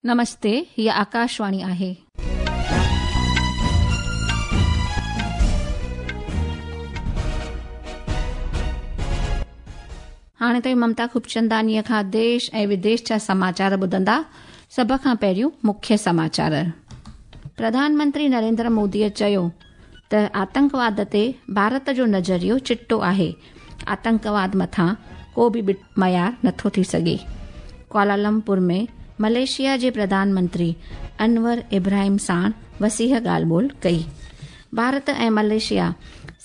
نمستي، هيء آڪاشواڻي آهي. هاڻي توهين ممتا خوبچندانيء کان ديش ۽ وديش جا سماچار ٻڌندا. سڀ کان پهريون مکيه سماچار. پرڌان منتري نريندر موديء چيو ته آتنڪواد تي ڀارت جو نظريو چٽو آهي، آتنڪواد مٿان ڪو به معيار نٿو ٿي سگهي. ڪوالالمپور ۾ ملائيشيا جي پرڌان منتري انور ابراهيم ساڻ وسيع ڳالهه ٻولهه ڪئي. ڀارت ۽ ملائيشيا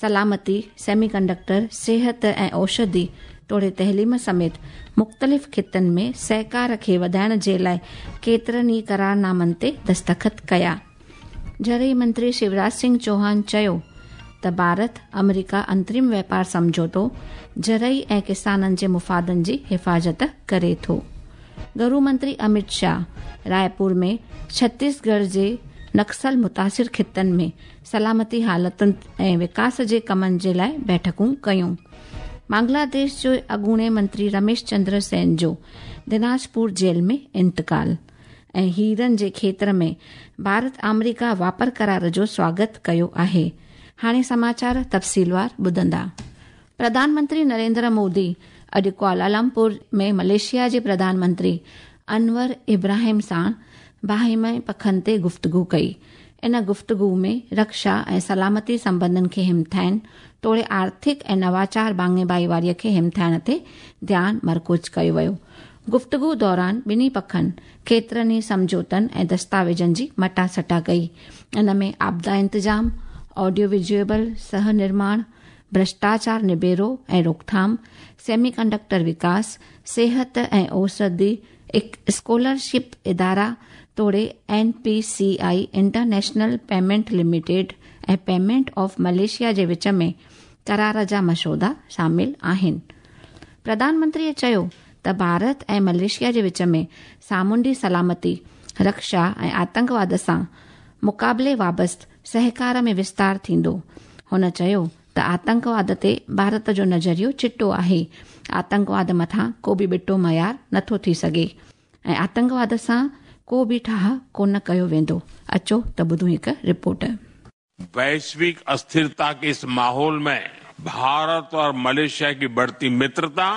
سلامتي، سيمي ڪنڊڪٽر، صحت ۽ اوشڌي توڙي تعليم سميت مختلف خطن ۾ سهڪار کي وڌائڻ جي لاء ڪيترن ئي قرارنامن تي دستخط ڪيا. زرعي منتري شيوراج سنگهه چوهان چيو ته ڀارت آمريڪا انترم واپار سمجهوتو زرعي ۽ ڪسانن جي مفادن جي حفاظت ڪري ٿو. گهرو منتري امت شاهه رائپور ۾ ڇتيسڳڙهه جي نڪسل متاثر خطن ۾ سلامتي حالتن ۽ وڪاس جي ڪمن جي لاء بيٺڪون ڪيون. بنگلاديش جي اڳوڻي منتري رميش چندر سين جو دناجپور جيل ۾ انتقال. ۽ هيرن جي کيتر ۾ ڀارت آمريڪا واپار قرار جو سواگت ڪيو آهي. هاڻي سماچار تفصيلوار ٻڌندا. پرڌان منتري نريندر مودي اڄ ڪوالالمپور ۾ ملائيشيا جي پرڌان منتري انور ابراهيم ساڻ باهمي پکن تي گفتگو ڪئي. ان گفتگو ۾ رڪشا ۽ سلامتي سنٻنڌن کي همٿائڻ توڙي آرٿڪ ۽ نواچار ڀاڱي ڀائيواري کي همٿائڻ تي ڌيان مرڪوز ڪيو ويو. گفتگو دوران ٻنهي پکن ڪيترن ئي سمجهوتن ۽ دستاويزن جي مٽاسٽا ڪئي. ان ۾ آپدا انتظام، آڊيو ويزوئل سهه نرماڻ، ڀرشٽاچار نبيرو ۽ روڪٿام، سيمي ڪنڊڪٽر وڪاس، صحت ۽ اوسڌي، اسڪالرشپ ادارا توڙي N P C I international payment limited ۽ payment of Malaysia جي وچ ۾ قرار جا مسودا شامل آهن. پرڌان منتريء چيو ته ڀارت ۽ ملائيشيا جي وچ ۾ سامونڊي سلامتي، رڪشا ۽ آتنڪواد سان مقابلي وابست سهڪار ۾ وستار ٿيندو. هن چيو ته آتنڪواد تي ڀارت جو نظريو چٽو آهي، آتنڪواد مٿان ڪو به ٻٽو معيار نٿو ٿي سگهي ۽ آتنڪواد سان ڪو به ٺاهه ڪونه ڪيو ويندو. اچو ته ٻڌون هڪ رپورٽ. वैश्विक अस्थिरता के इस माहौल में भारत और मलेशिया की बढ़ती मित्रता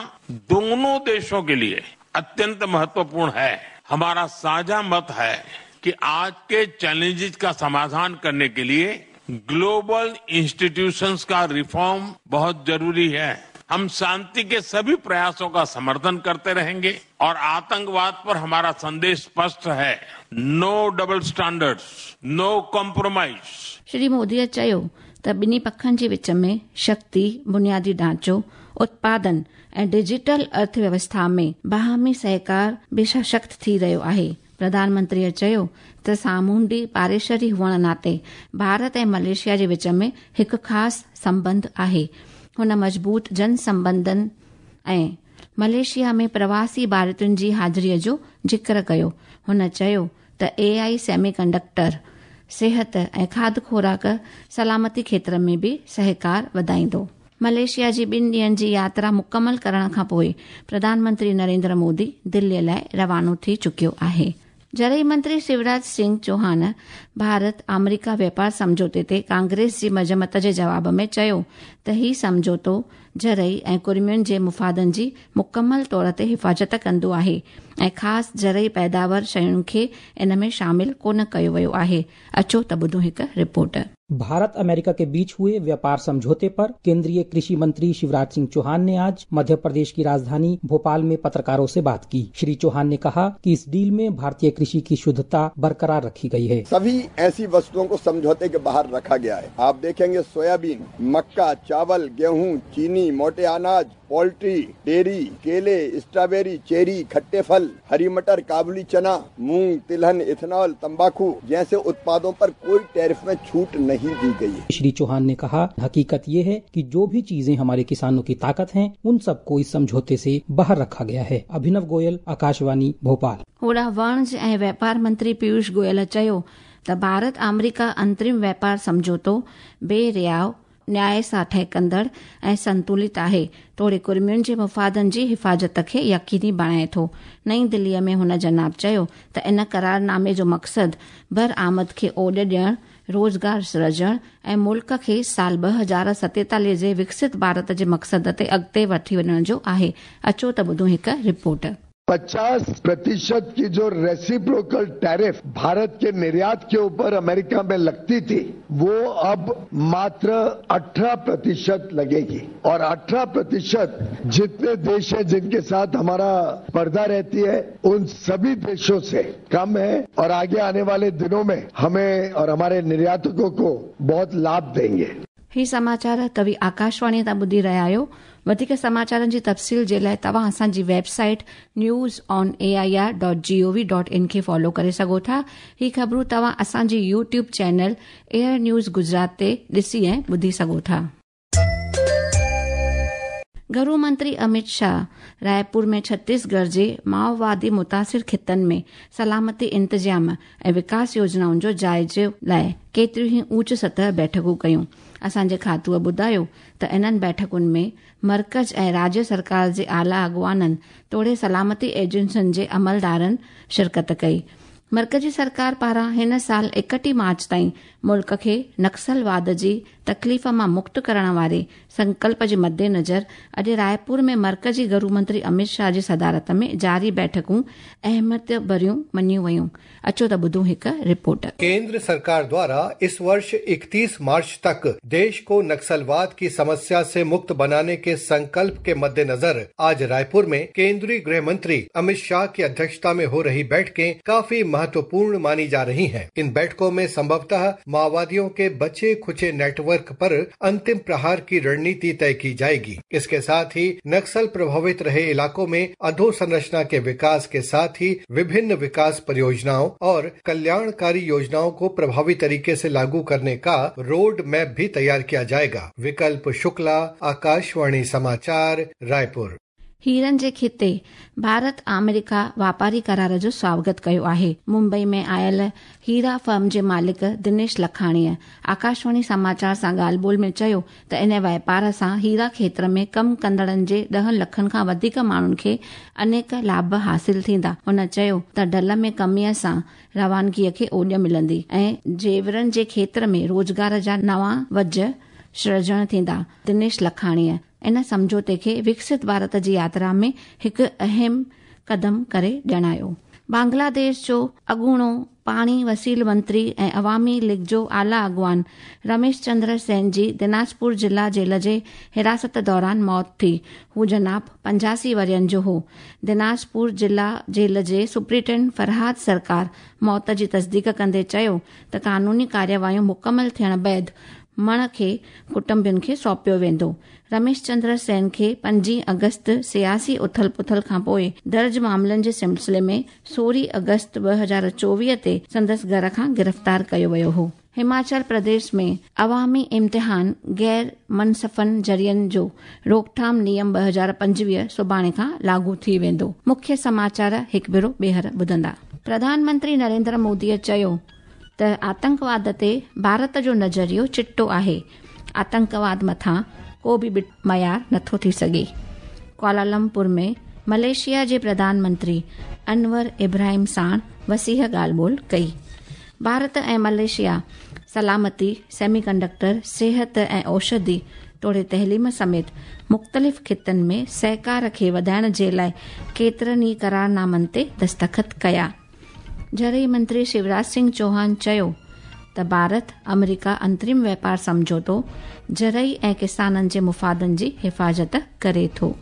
दोनों देशों के लिए अत्यंत महत्वपूर्ण है। हमारा साझा मत है कि आज के चैलेंजेस का समाधान करने के लिए ग्लोबल इंस्टीट्यूशंस का रिफॉर्म बहुत जरूरी है। हम शांति के सभी प्रयासों का समर्थन करते रहेंगे और आतंकवाद पर हमारा संदेश स्पष्ट है, no double standards, no compromise. Shri موديء چيو ته ٻنهي پکن جي وچ ۾ شڪتي، بنيادي ڍانچو، اتپادن ۽ ڊجيٽل ارٿ ويوسٿا ۾ باهمي سهڪار به سشڪت ٿي رهيو آهي. پرڌان منتريء چيو ته سامونڊي پاڙيسري هئڻ ناتي ڀارت ۽ ملائيشيا جي وچ ۾ هڪ خاص سنٻنڌ آهي. هن مضبوط جن سنٻنڌن ۽ ملائيشيا ۾ پرواسي ڀارتين جي حاضريء جو ذڪر ڪيو. هن چيو ته اي آء سيمي ڪنڊڪٽر، صحت ۽ کاڌ خوراڪ سلامتي کيتر ۾ به سهڪار وڌائيندو. ملائيشيا جي ٻن ڏينهن جي ياترا مڪمل ڪرڻ کانپوء پرڌان منتري نريندر مودي دلي لاء روانو ٿي چڪيو آهي. زرعي منتري شيوراج سنگهه چوهان ڀارت آمريڪا واپار سمجهوتي تي ڪانگريس جي مذمت جي جواب ۾ چيو ته هي سمجهوتو زرعي ۽ ڪڙمين جي مفادن جي مڪمل طور تي حفاظت ڪندو آهي ۽ خاص زرعي پيداور شين کي ان ۾ شامل ڪونه ڪيو ويو آهي. اچو ته ٻڌون هڪ رپورٽ. भारत अमेरिका के बीच हुए व्यापार समझौते पर केंद्रीय कृषि मंत्री शिवराज सिंह चौहान ने आज मध्य प्रदेश की राजधानी भोपाल में पत्रकारों से बात की। श्री चौहान ने कहा कि इस डील में भारतीय कृषि की शुद्धता बरकरार रखी गई है। सभी ऐसी वस्तुओं को समझौते के बाहर रखा गया है। आप देखेंगे सोयाबीन, मक्का, चावल, गेहूं, चीनी, मोटे अनाज, पोल्ट्री, डेयरी, केले, स्ट्रॉबेरी, चेरी, खट्टे फल, हरी मटर, काबुली चना, मूंग, तिलहन, इथेनॉल, तंबाकू जैसे उत्पादों पर कोई टैरिफ में छूट नहीं दी गई है। श्री चौहान ने कहा, हकीकत ये है कि जो भी चीजें हमारे किसानों की ताकत हैं, उन सबको इस समझौते से बाहर रखा गया है। अभिनव गोयल, आकाशवाणी, भोपाल। होॾां वणज ऐं व्यापार मंत्री पीयूष गोयल चयो त भारत आमरीका अंतरिम व्यापार सम्झौतो बे रियाव, न्याय सां ठहकंदड़ ऐं संतुलित आहे, तोड़े कुर्मियुनि जे मुफ़ादनि जी हिफ़ाज़त खे यकीनी बणाए थो। नई दिल्लीअ में हुन जनाब चयो त इन करारनामे जो मक़सदु बरआमद खे ओॾ ॾियणु, रोज़गार सिरजणु ऐं मुल्क खे साल 2047 जे विकसित भारत जे मक़सद ते अॻिते वठी वञण जो आहे। अचो त ॿुधूं हिकु रिपोर्ट। 50% की जो रेसिप्रोकल टैरिफ भारत के निर्यात के ऊपर अमेरिका में लगती थी, वो अब मात्र 18% लगेगी। और 18% जितने देश हैं जिनके साथ हमारा स्पर्धा रहती है, उन सभी देशों से कम है और आगे आने वाले दिनों में हमें और हमारे निर्यातकों को बहुत लाभ देंगे। ही समाचार तव्हीं आकाशवाणी तां ॿुधी रहिया आहियो। वधीक समाचारनि जी तफ़सील जे लाइ तव्हां असांजी वेबसाइट newsonair.gov.in खे फॉलो करे सघो था। ही ख़बरूं तव्हां असांजी YouTube channel air news Gujarat ते ॾिसी ऐं ॿुधी सघो था। घरू मंत्री अमित शाह रायपुर में छत्तीसगढ़ जे माओवादी मुतासिर ख़ितनि में सलामती इंतज़ाम ऐं विकास योजनाउनि जो जाइज़ो लाइ केतिरियूं ई ऊंच सतह बैठकूं कयूं। असांजे खातूअ ॿुधायो त इन्हनि बैठकुनि में मर्कज़ ऐं राज्य सरकार जे आला अॻुवाननि तोड़े सलामती एजेंसियुनि जे अमलदारनि शिरकत कई। मर्कज़ी सरकार पारां हिन साल 31 मार्च ताईं मुल्क खे नक्सलवाद जी तकलीफ़ मां मुक्त करण वारे संकल्प जे मद्देनज़र अॼु रायपुर में मर्कज़ी घरू मंत्री अमित शाह जी सदारत में जारी बैठकूं अहमियत भरियूं मञियूं वयूं। अचो त ॿुधूं हिकु रिपोर्ट। केंद्र सरकार द्वारा इस वर्ष 31 मार्च तक देश को नक्सलवाद की समस्या से मुक्त बनाने के संकल्प के मद्देनजर आज रायपुर में केंद्रीय गृह मंत्री अमित शाह की अध्यक्षता में हो रही बैठकें काफी महत्वपूर्ण मानी जा रही हैं। इन बैठकों में संभवतः माओवादियों के बचे खुचे नेटवर्क पर अंतिम प्रहार की रणनीति तय की जाएगी। इसके साथ ही नक्सल प्रभावित रहे इलाकों में अधोसंरचना के विकास के साथ ही विभिन्न विकास परियोजनाओं और कल्याणकारी योजनाओं को प्रभावी तरीके से लागू करने का रोड मैप भी तैयार किया जाएगा। विकल्प शुक्ला, आकाशवाणी समाचार, रायपुर। हीरनि जे खिते भारत आमेरिका वापारी करार जो स्वागत कयो आहे। मुंबई में आयल हीरा फर्म जे मालिक दिनेश लखाणीअ आकाशवाणी समाचार सां ॻाल्हि ॿोल में चयो त इन वापार सां हीरा क्षेत्र में कमु कंदड़नि जे 10 लखनि खां वधीक माण्हुनि खे अनेक लाभ हासिल थींदा। हुन चयो त ढल में कमीअ सां रवानगीअ खे ओॾ मिलंदी ऐं जेवरनि जे क्षेत्र में रोज़गार जा नवां वज सृजण थींदा। दिनेश लखाणीअ इन सम्झौते खे विकसित भारत जी यात्रा में हिकु अहम कदम करे ॼाणायो। बांग्लादेश जो अॻूणो पाणी वसील मंत्री ऐं अवामी लीग जो आला अॻुवान रमेश चंद्र सेन जी दिनाजपुर जिला जेल जे हिरासत दौरान मौत थी। हू जनाब 85 वरियनि जो हो। दिनाजपुर जिला जेल जे सुप्रिंटेंडेंट फरहाद सरकार मौत जी तस्दीक कंदे चयो त कानूनी कार्यवाहियूं मुकमल थियण बाद मण खे कुटुंबियुनि खे सौंपियो वेंदो। रमेश चंद्र सेन खे 5 अगस्त सियासी उथल पुथल खां पोइ दर्ज मामलनि जे सिलसिले में 16 अगस्त 2024 ते संदसि घर खां गिरफ़्तार कयो वियो हो। हिमाचल प्रदेश में अवामी इम्तिहान गैर मनसफ़न ज़रियनि जो रोकथाम नियम 2025 सुभाणे खां लागू थी वेंदो। मुख्य समाचार हिकु भेरो ॿीहर ॿुधंदा। प्रधानमंत्री नरेंद्र मोदीअ चयो त आतंकवाद ते भारत जो नज़रियो चिटो आहे, आतंकवाद मथां को बि मयार नथो थी सघे। कुआलालंपुर में मलेशिया जे प्रधानमंत्री अनवर इब्राहिम साण वसीह ॻाल्हि ॿोल कई। भारत ऐं मलेशिया सलामती, सेमीकंडक्टर, सिहत ऐं औषधि तोड़े तहलीम समेत मुख़्तलिफ़ ख़ितनि में सहकार खे वधाइण जे लाइ केतिरनि ई करारनामनि ते दस्तख़त कया। ज़रई मंत्री शिवराज सिंह चौहान चयो त भारत अमेरिका अंतरिम व्यापार सम्झौतो ज़रई ऐं किसाननि जे मुफ़ादनि जी हिफ़ाज़त करे थो।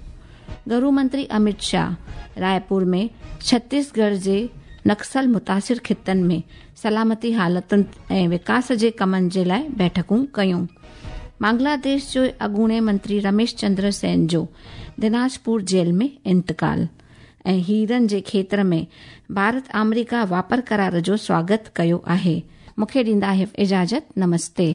घरू मंत्री अमित शाह रायपुर में छत्तीसगढ़ जे नक्सल मुतासिर ख़ितनि में सलामती हालतुनि ऐं विकास जे कमनि जे लाइ बैठकूं कयूं। बांग्लादेश जो अॻूणे मंत्री रमेश चंद्र सेन जो दिनाजपुर जेल में इंतकाल ऐं हीरनि जे क्षेत्र में भारत आमेरिका वापर करार जो स्वागत कयो आहे। मूंखे ॾींदा इजाज़त, नमस्ते।